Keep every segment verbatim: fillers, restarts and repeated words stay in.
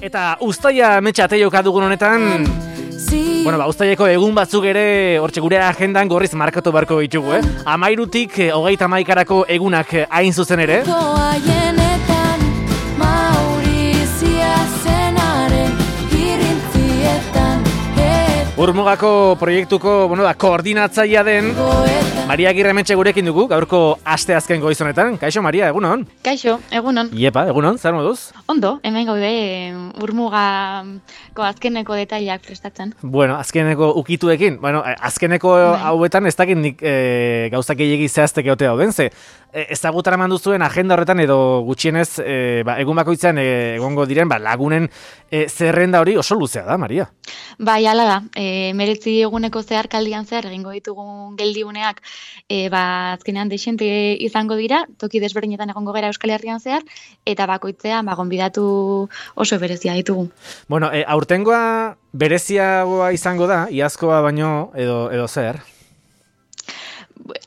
Eta uztaia metxate joka dugun honetan, bueno, ba, uztaieko egun batzuk ere hortxe gure agendan gorriz markatu barko ditugu, eh? Amairutik hogeita hamaikaerako egunak hain zuzen ere. Urmugako proiektuko, bueno, da, koordinatzailea den Maria Agirremetxe gurekin dugu, gaurko aste azken goizonetan. Kaixo, Maria, egunon? Kaixo, egunon. Iepa, egunon, zer moduz? Ondo, hemen gaude Urmugako azkeneko detaileak prestatzen. Bueno, azkeneko ukituekin, bueno, azkeneko bai. Hauetan ez dakit nik e, gauzak gehiegi zehaztek egote dauden, ze e, ezagutara mandu zuen agenda horretan edo gutxienez e, ba, egun bakoitzan e, egongo diren ba, lagunen e, zerrenda hori oso luzea da, Maria. Bai, hala da, e, meretzi eguneko zehar kaldian zehar egingo ditugun geldiuneak e, ba, azkenean desente izango dira, toki desberdinetan egongo gara Euskal Herrian zehar, eta bakoitzean ba, gonbidatu oso berezia ditugu. Bueno, e, aurtengoa bereziagoa izango da, iazkoa baino edo, edo zer?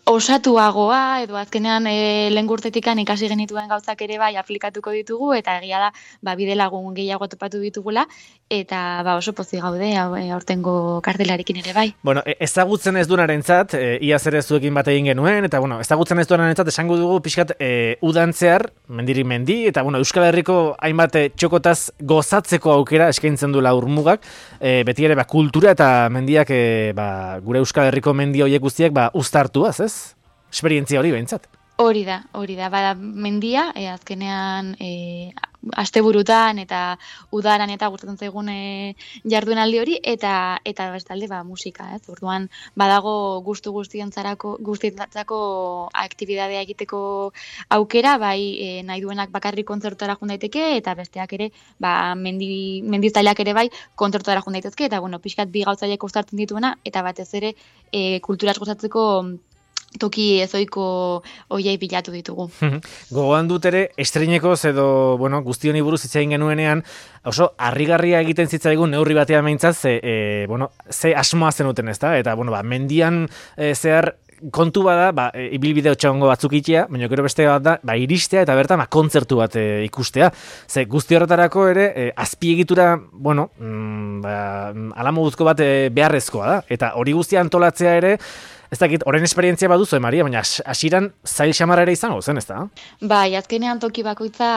Osatuagoa, edo azkenean e, lehen gurtetikan ikasi genituen gauzak ere bai aplikatuko ditugu, eta egia da, ba, bide lagun gehiago topatu ditugula, eta ba, oso pozik gaude aurtengo kartelarekin ere bai. Bueno, ezagutzen ez duenarentzat, e, iaz ere zuekin bat egin genuen, eta bueno, ezagutzen ez duenarentzat esango dugu pixkat e, udantzear, mendiri mendi, eta bueno, Euskal Herriko hainbat txokotaz gozatzeko aukera eskaintzen duela Urmugak, e, beti ere ba, kultura eta mendiak e, ba, gure Euskal Herriko mendi horiek guztiak ba, uztartuaz, ez? Esperientzia hori behintzat. Hori da, hori da. Bada mendia, e, azkenean e, asteburutan eta udaran eta gustatzen zaigun e, jardunaldi hori, eta eta bestalde ba, musika, ez? Orduan badago gustu guztientzarako guztientzako aktibitatea egiteko aukera, bai e, nahi duenak bakarrik kontzertutara joan daiteke, eta besteak ere, ba, mendi, mendizailak ere bai kontzertutara joan daitezke, eta bueno, pixkat bi gauzailek uztartzen dituena, eta batez ere e, kulturaz gozatzeko toki ezoiko oiei bilatu ditugu. Gogoan dut ere, estreinekoz edo, bueno, guzti honi buruz hitz egin genuenean, oso harrigarria egiten zitzaigun neurri batean behintzat, ze, e, bueno, ze asmoa zenuten, ez da? Eta, bueno, ba, mendian e, zehar kontu bada, ba, e, ibilbide otxagongo batzuk itea, baina gero beste bat da, ba, iristea eta bertan ba, kontzertu bat e, ikustea. Ze guzti horretarako ere, e, azpiegitura, bueno, mm, ba, alamoduzko bat e, beharrezkoa da. Eta hori guztia antolatzea ere, ez dakit, horren esperientzia baduzu, Maria, baina hasiran zail xamarra ere izango zen, ez da? Bai, azkenean toki bakoitza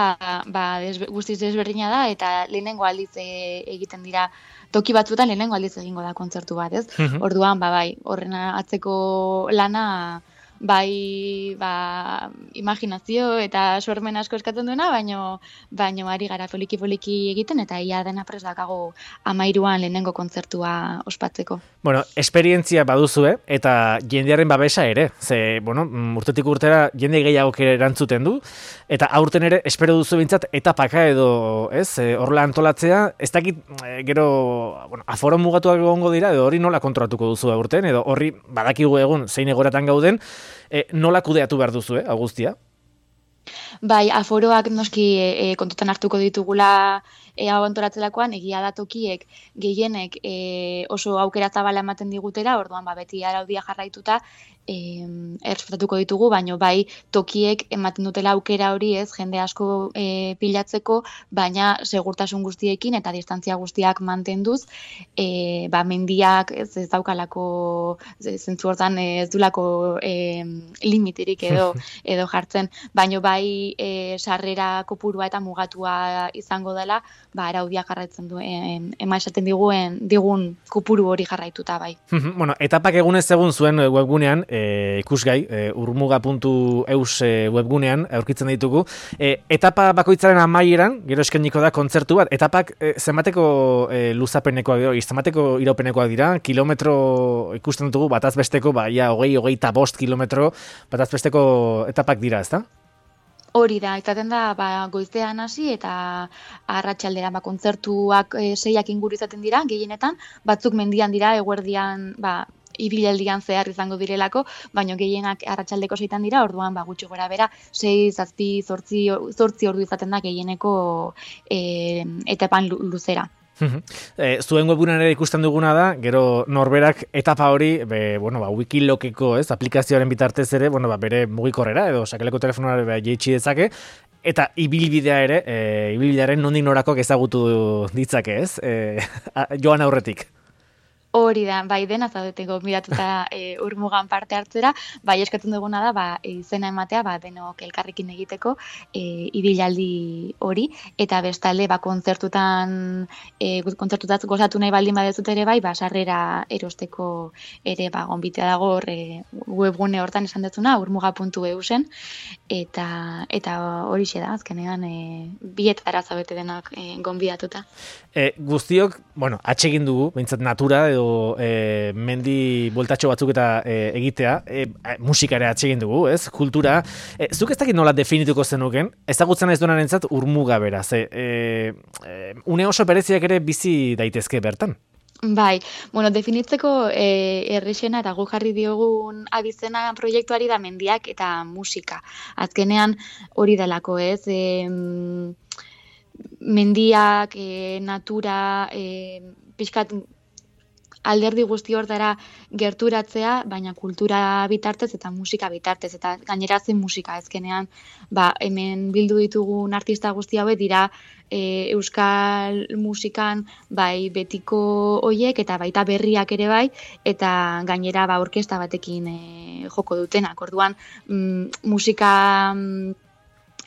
ba, desbe, guztiz desberdina da, eta lehenengo aldiz e, egiten dira, toki batzuetan lehenengo aldiz egingo da kontzertu bat, ez? Uh-huh. Orduan, ba, bai, horren atzeko lana, bai, ba, imaginazio eta sormen asko eskatzen duena, baino, baino ari gara poliki-poliki egiten, eta ia dena prest dakago amairuan lehenengo kontzertua ospatzeko. Bueno, esperientzia baduzue, eta jendearen babesa ere. Ze, bueno, urtetik urtera jende gehiago erantzuten du, eta aurten ere espero duzu bintzat etapaka edo, ez, horrela antolatzea, ez dakit, gero, bueno, aforo mugatuak egongo dira, edo hori nola kontrolatuko duzu aurten, edo horri badakigu egun zein egoratan gauden, e, nola kudeatu behar duzu, eh, Augustia? Bai, aforoak noski e, kontutan hartuko ditugula e, hau antolatzelakoan, egia da tokiek gehienek e, oso aukera zabala ematen digutera, orduan ba, beti araudia jarraituta e, errespetatuko ditugu, baino bai tokiek ematen dutela aukera hori ez, jende asko e, pilatzeko, baina segurtasun guztiekin eta distantzia guztiak mantenduz, e, ba, mendiak ez, ez daukalako, zentzu hortan ez dulako e, limiterik edo, edo jartzen, baino bai e, sarrera kopurua eta mugatua izango dela, ba, araudia jarraitzen du, e, ema esaten diguen, digun kopuru hori jarraituta bai. Bueno, etapak egunez egun zuen webgunean, e, ikusgai, e, urmuga puntu eus e, webgunean aurkitzen ditugu. E, etapa bakoitzaren amaieran, gero eskainiko da kontzertu bat, etapak e, zenbateko e, luzapenekoak dira, zenbateko iraupenekoak dira, kilometro ikusten ditugu, bataz besteko, ba, ia, hogei, hogei eta bost kilometro, bataz besteko etapak dira, ezta? Hori da, izaten da ba, goizean hasi eta arratsaldera ba, kontzertuak e, seiak inguru izaten dira, gehienetan, batzuk mendian dira, eguerdian, ba, ibilaldian zehar izango direlako, baina gehienak arratsaldeko seitan dira, orduan ba, gutxi gora bera, sei, zazpi, zortzi, zortzi ordu izaten da gehieneko e, etapan luzera. E, zuen webunean ere ikusten duguna da, gero norberak etapa hori, be, bueno, ba, Wikilokeko, ez, aplikazioaren bitartez ere, bueno, ba, bere mugikorrera edo sakeleko telefonara be, jeitsi dezake, Eta ibilbidea ere, e, ibilbidearen nondik norakoak ezagutu ditzake, ez? E, joan aurretik. Hori da, bai dena zaudete gonbidatuta e, urmugan parte hartzera, bai eskatzen duguna da, ba, izena ematea, ba, denok elkarrekin egiteko e, ibilaldi hori, eta bestalde, ba, kontzertutan, e, kontzertutat gozatu nahi baldin badezut ere bai, ba, sarrera erosteko ere, ba, gonbitea dago e, webgune hortan esan dezuna, urmuga puntu e u zen, eta, eta horixe da, azkenean, e, bietara zaudete denak e, gonbidatuta. E, guztiok, bueno, atsegin dugu, behintzat natura edo e, mendi bueltatxo batzuk eta e, egitea, e, musika ere atsegin dugu, ez? Kultura. E, zuk ez dakit nola definituko zenuken, ezagutzen ez duenarentzat urmuga bera, ze e, e, une oso bereziak ere bizi daitezke bertan. Bai, bueno, definitzeko e, errexena eta gu jarri diogun abizena proiektuari da mendiak eta musika. Azkenean hori delako, ez? E, mendiak, e, natura, e, pixkat alderdi guzti hortara gerturatzea, baina kultura bitartez eta musika bitartez, eta gainera zen musika ezkenean, ba, hemen bildu ditugun artista guzti hauek dira e, euskal musikan bai betiko hoiek eta baita berriak ere bai, eta gainera ba orkesta batekin e, joko dutenak. Orduan, mm, musika mm,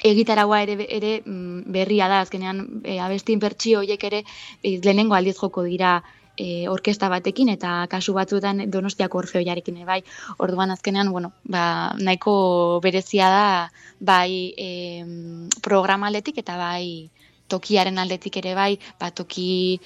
egitaragoa ere, ere berria da, azkenean e, abestin bertsio horiek ere e, lehenengo aldiz joko dira e, orkesta batekin eta kasu batzuetan Donostiako Orfeoiarekin bai. Orduan azkenean, bueno, ba, nahiko berezia da bai e, programa aldetik eta bai tokiaren aldetik ere bai, ba, toki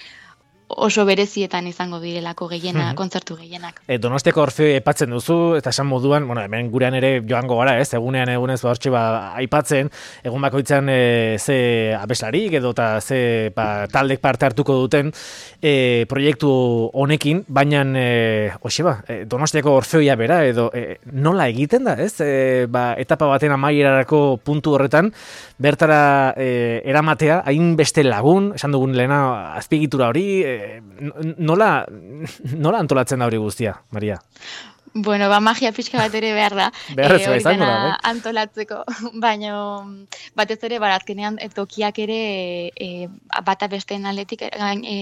oso berezietan izango direlako gehiena, kontzertu gehienak. E, Donostiako Orfeoi aipatzen duzu, eta esan moduan, bueno, hemen gurean ere joango gara, ez, egunean egunez ba hortxe ba aipatzen, egun bakoitzan e, ze abeslarik edo eta ze ba, taldek parte hartuko duten e, proiektu honekin, baina e, hoxe ba, e, Donostiako Orfeoia bera edo e, nola egiten da, ez? E, ba, etapa baten amaierarako puntu horretan, bertara e, eramatea, hainbeste lagun, esan dugun lehena azpiegitura hori, e, nola, nola antolatzen da hori guztia, Maria? Bueno, ba, magia pixka bat ere behar da, behar e, hori dena da, antolatzeko, baina batez ere barazkenean tokiak ere e, bata besteen aldetik e,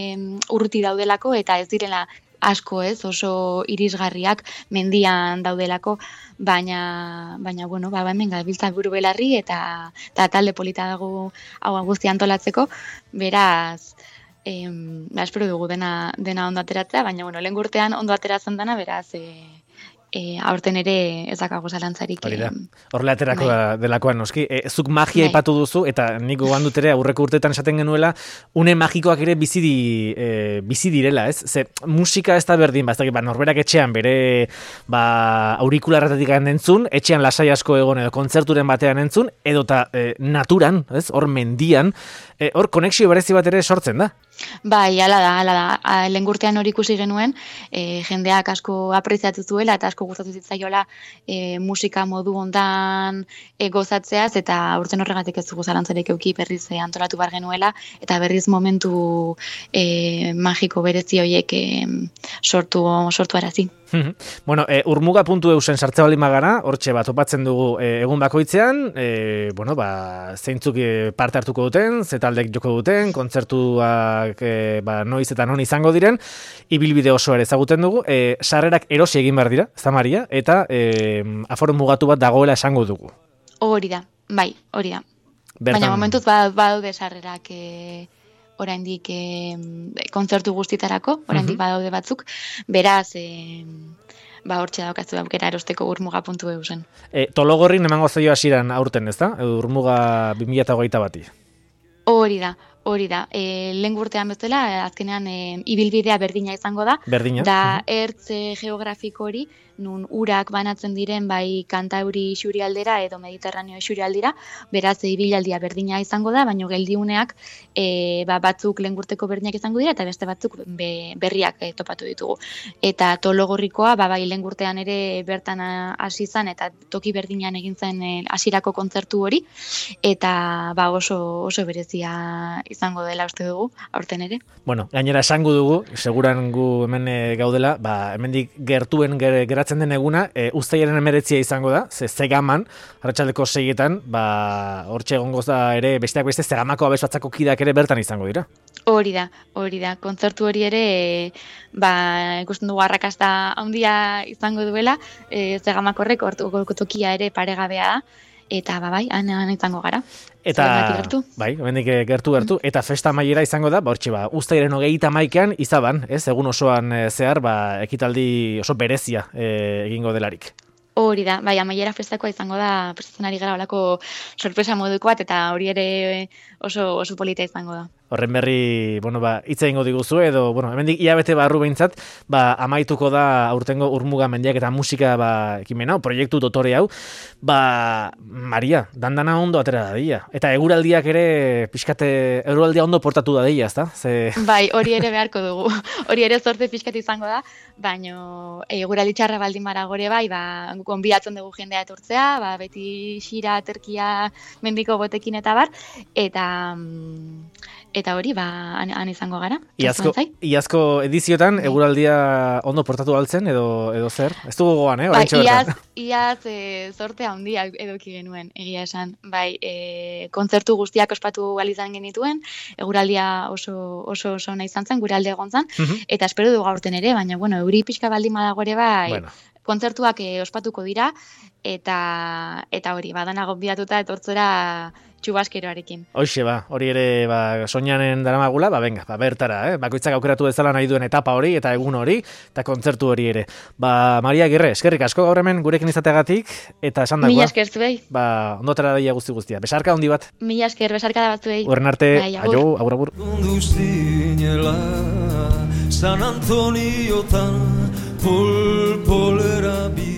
urruti daudelako eta ez direla asko, ez, oso irisgarriak mendian daudelako, baina, baina bueno, ba, hemen gabiltza buru belarri eta, eta talde polita dago hau guztia antolatzeko, beraz, Em, ba, espero dugu dena, dena ondo ateratzea, baina bueno, lehen urtean ondo ateratzen dana, beraz, e, e, aurten ere ez dakago zalantzarik. Hori da, horrela aterako bai. Delakoan noski. E, zuk magia ipatu bai. Duzu, eta nik gogoan dut ere aurreko urteetan esaten genuela, une magikoak ere bizi, di, e, bizi direla, ez? Ze, musika ez da berdin, ba, ez dakit, ba, norberak etxean bere ba, aurikularretatik entzun, etxean lasai asko egon edo kontzerturen batean entzun, edota e, naturan, ez? Hor mendian, e, hor konexio berezi bat ere sortzen da. Bai, ala da, ala da. Lehen urtean hori ikusi genuen, e, jendeak asko apreziatu zuela eta asko gustatu zitzaiola e, musika modu ondan e, gozatzeaz, eta urten horregatik ez dugu zalantzarik eduki berriz e, antolatu bar genuela, eta berriz momentu e, magiko berezi horiek e, sortu, sortu arazi. Bueno, e, urmuga puntu e u zen sartze baldin bagara, hortxe bat topatzen dugu e, egun bakoitzean, e, bueno, ba, zeintzuk parte hartuko duten, ze taldek joko duten, kontzertuak e, ba, noiz eta non izango diren, ibilbide oso ere ezaguten dugu, e, sarrerak erosi egin behar dira, ez da Maria, eta e, aforo mugatu bat dagoela esango dugu. Hori da, bai, hori da. Bertan... Baina momentuz badaude sarrerak e... oraindik e, kontzertu guztitarako, oraindik uh-huh. badaude batzuk, beraz, e, ba, hortxe daukazu aukera erosteko urmuga puntu e u zen. E, Tologorrin emango zaio hasiran aurten, ez da? Urmuga bi mila hogeita bati. Hori da, hori da. E, lehen urtean bezala, azkenean e, ibilbidea berdina izango da. Berdina. Da, uh-huh. ertz geografiko hori, nun urak banatzen diren bai Kantauri isurialdera edo Mediterraneo isurialdira, beraz ibilaldia berdina izango da, baina geldiuneak e, ba, batzuk lehen urteko berdinak izango dira eta beste batzuk be, berriak e, topatu ditugu. Eta Tologorrikoa, ba, bai lehen urtean ere bertan hasi izan eta toki berdinean egin zen hasierako kontzertu hori, eta ba, oso, oso berezia izango dela uste dugu, aurten ere. Bueno, gainera esango dugu, seguran gu hemen gaudela, ba, hemendik gertuen geratzen bukatzen den eguna, e, uztailaren emeretzia izango da, ze Zegaman, arratsaldeko seietan, ba, hortxe egongo da ere, besteak beste, Zegamako abes batzako kideak ere bertan izango dira. Hori da, hori da. Kontzertu hori ere, e, ba, ikusten dugu arrakasta handia izango duela, e, Zegamakorrek hortuko tokia ere paregabea da, eta ba, bai, han, han izango gara. Eta, bai, hemendik gertu gertu, eta festa amaiera izango da, ba, hortxe, ba, uztailaren hogeita hamaikaan izaban, ez, egun osoan e, zehar, ba, ekitaldi oso berezia e, egingo delarik. Hori da, bai, amaiera festakoa izango da, prestatzen ari gara olako sorpresa moduko bat, eta hori ere oso, oso polita izango da. Horren berri, bueno, ba, hitz egingo diguzu, edo, bueno, hemendik hilabete barru behintzat, ba, amaituko da aurtengo Urmuga mendiak eta musika, ba, ekimen hau, proiektu dotore hau, ba, Maria, dandana ondo atera da dira. Eta eguraldiak ere, pixkate, eguraldia ondo portatu da dira, ezta? Ze... Bai, hori ere beharko dugu, hori ere zorte pixkat izango da, baino eguraldi txarra baldin bara gore bai, ba, gonbidatzen dugu jendea etortzea, ba, beti xira, terkia, mendiko botekin eta bar, eta... Eta hori, ba, han, han izango gara. Iazko, iazko ediziotan, eguraldia ondo portatu altzen, edo, edo zer? Ez dugu goan, eh? Ba, iaz, iaz e, zorte handia eduki genuen, egia esan. Bai, e, kontzertu guztiak ospatu izan genituen, eguraldia oso oso oso ona izan zen, gure alde egon zen, uh-huh. Eta espero dugu aurten ere, baina, bueno, euri pixka baldin badago ere, bai, bueno. Kontzertuak e, ospatuko dira, eta eta hori, badana gonbidatuta etortzera txubaskeroarekin. Hoxe, ba, hori ere, ba, soñanen daramagula, ba, venga, ba, bertara, eh? Bakoitzak aukeratu dezala nahi duen etapa hori, eta egun hori, eta kontzertu hori ere. Ba, Maria Agirre, eskerrik asko gaur hemen gurekin izateagatik, eta esan dagoa. Mila esker zuei. Ba, ondotara daia guzti guztia. Besarka handi bat. Mila esker, besarka da bat zuei. Horren arte, aio, agur, agur. San Antoniotan pol polera bi